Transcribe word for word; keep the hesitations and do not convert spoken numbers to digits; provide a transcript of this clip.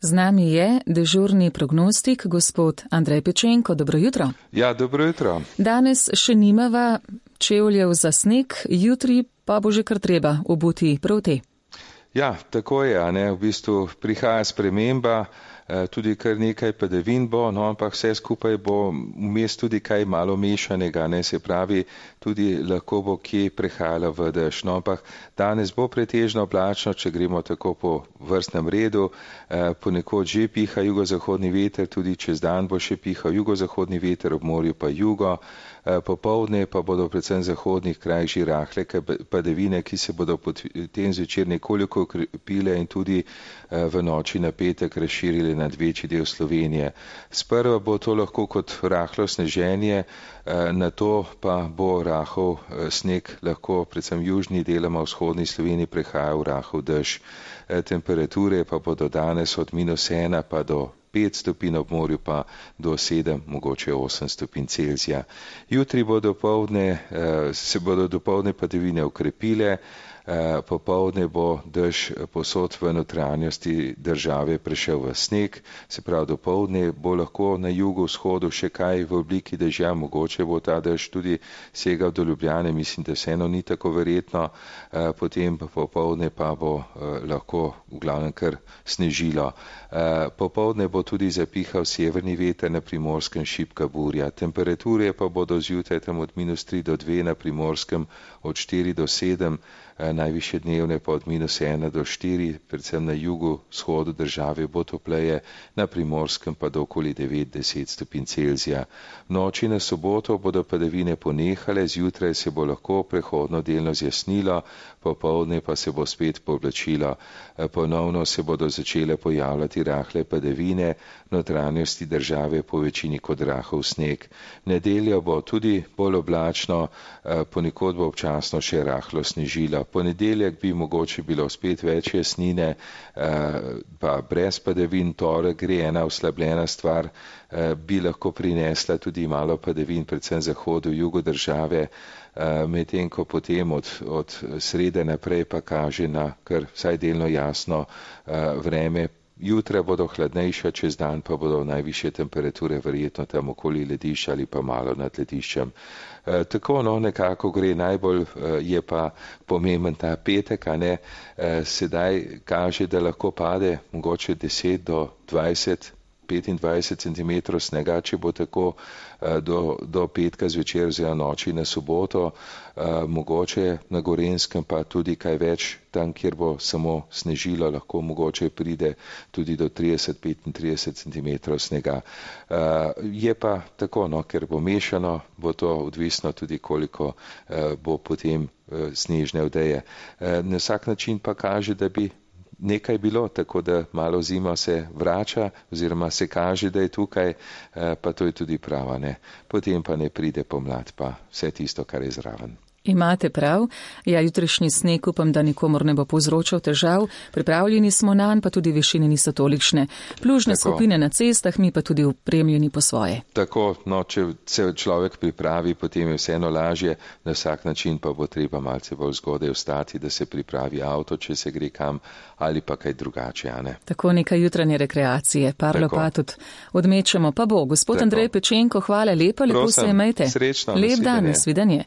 Z nami je dežurni prognostik, gospod Andrej Pečenko. Dobro jutro. Ja, dobro jutro. Danes še nimava čevljev za sneg, jutri pa bo že kar treba obuti prav te. Ja, tako je, a ne, v bistvu prihaja sprememba, tudi kar nekaj padavin bo, no, ampak vse skupaj bo vmes tudi kaj malo mešanega, ne, se pravi, tudi lahko bo kje prehajala v dež, no, ampak danes bo pretežno oblačno, če gremo tako po vrstnem redu, ponekod že piha jugozahodni veter, tudi čez dan bo še pihal jugozahodni veter, ob morju pa jugo, popoldne pa bodo predvsem zahodnih krajih že rahle padavine, ki se bodo potem zvečer nekoliko okrepile in tudi v noči na petek razširili nad večji del Slovenije. Sprva bo to lahko kot rahlo sneženje, na to pa bo rahel sneg lahko predvsem južni deloma vzhodni Sloveniji prehajal rahel dež. Temperature pa bodo danes od minus ena pa do pet stopinj, ob morju pa do sedem, mogoče osem stopinj Celzija. Jutri bo dopoldne, se bodo dopoldne padavine ukrepile, popoldne bo dež posod v notranjosti države prešel v sneg, se pravi dopoldne bo lahko na jugovzhodu še kaj v obliki dežja, mogoče bo ta dež tudi segal do Ljubljane, mislim, da vseeno ni tako verjetno, potem popoldne pa bo lahko v glavnem kar snežilo. Popoldne bo tudi zapihal severni veter, na Primorskem šibka burja. Temperature pa bodo zjutraj tam od minus tri do dve, na Primorskem od štiri do sedem, najvišje dnevne pa od minus ena do štiri, predvsem na jugu, vzhodu države bo topleje, na Primorskem pa do okoli devet do deset stopinj Celzija. V noči na soboto bodo padavine ponehale, zjutraj se bo lahko prehodno delno zjasnilo, popoldne pa se bo spet pooblačilo. Ponovno se bodo začele pojavljati rahle padavine, notranjosti države po večini kot rahel sneg. Nedeljo bo tudi bolj oblačno, ponekod bo občasno še rahlo snežilo. Ponedeljek bi mogoče bilo spet več jasnine, pa brez padavin. Torek gre ena oslabljena stvar, bi lahko prinesla tudi malo padavin, predvsem zahodu, jugu države, medtem ko potem od, od srede naprej pa kaže na kar vsaj delno jasno vreme. Jutra bodo hladnejša, čez dan pa bodo najvišje temperature verjetno tam okoli ledišča ali pa malo nad lediščem. E, tako no, nekako gre, najbolj je pa pomemben ta petek, a ne, e, sedaj kaže, da lahko pade mogoče deset do dvajset, petindvajset centimetrov snega, če bo tako do, do petka zvečer oziroma noči na soboto, mogoče na Gorenjskem pa tudi kaj več, tam kjer bo samo snežilo, lahko mogoče pride tudi do trideset do petintrideset centimetrov snega. Je pa tako, no, ker bo mešano, bo to odvisno tudi koliko bo potem snežne odeje. Na vsak način pa kaže, da bi nekaj bilo, tako da malo zima se vrača oziroma se kaže, da je tukaj, pa to je tudi prava, ne. Potem pa ne pride pomlad, pa vse tisto, kar je zraven. Imate prav, ja, jutrišnji sneg upam, da nikomor ne bo povzročal težav, pripravljeni smo nanj, pa tudi višine niso tolikšne. Plužne tako skupine na cestah, mi pa tudi opremljeni po svoje. Tako, no, če se človek pripravi, potem je vseeno lažje, na vsak način pa bo treba malce bolj zgodaj vstati, da se pripravi avto, če se gre kam, ali pa kaj drugače, a ne. Tako nekaj jutranje rekreacije, parlo pa tudi odmečemo, pa bo. Gospod tako. Andrej Pečenko, hvala lepa, lepo se imejte. Srečno, lep dan, nasvidenje.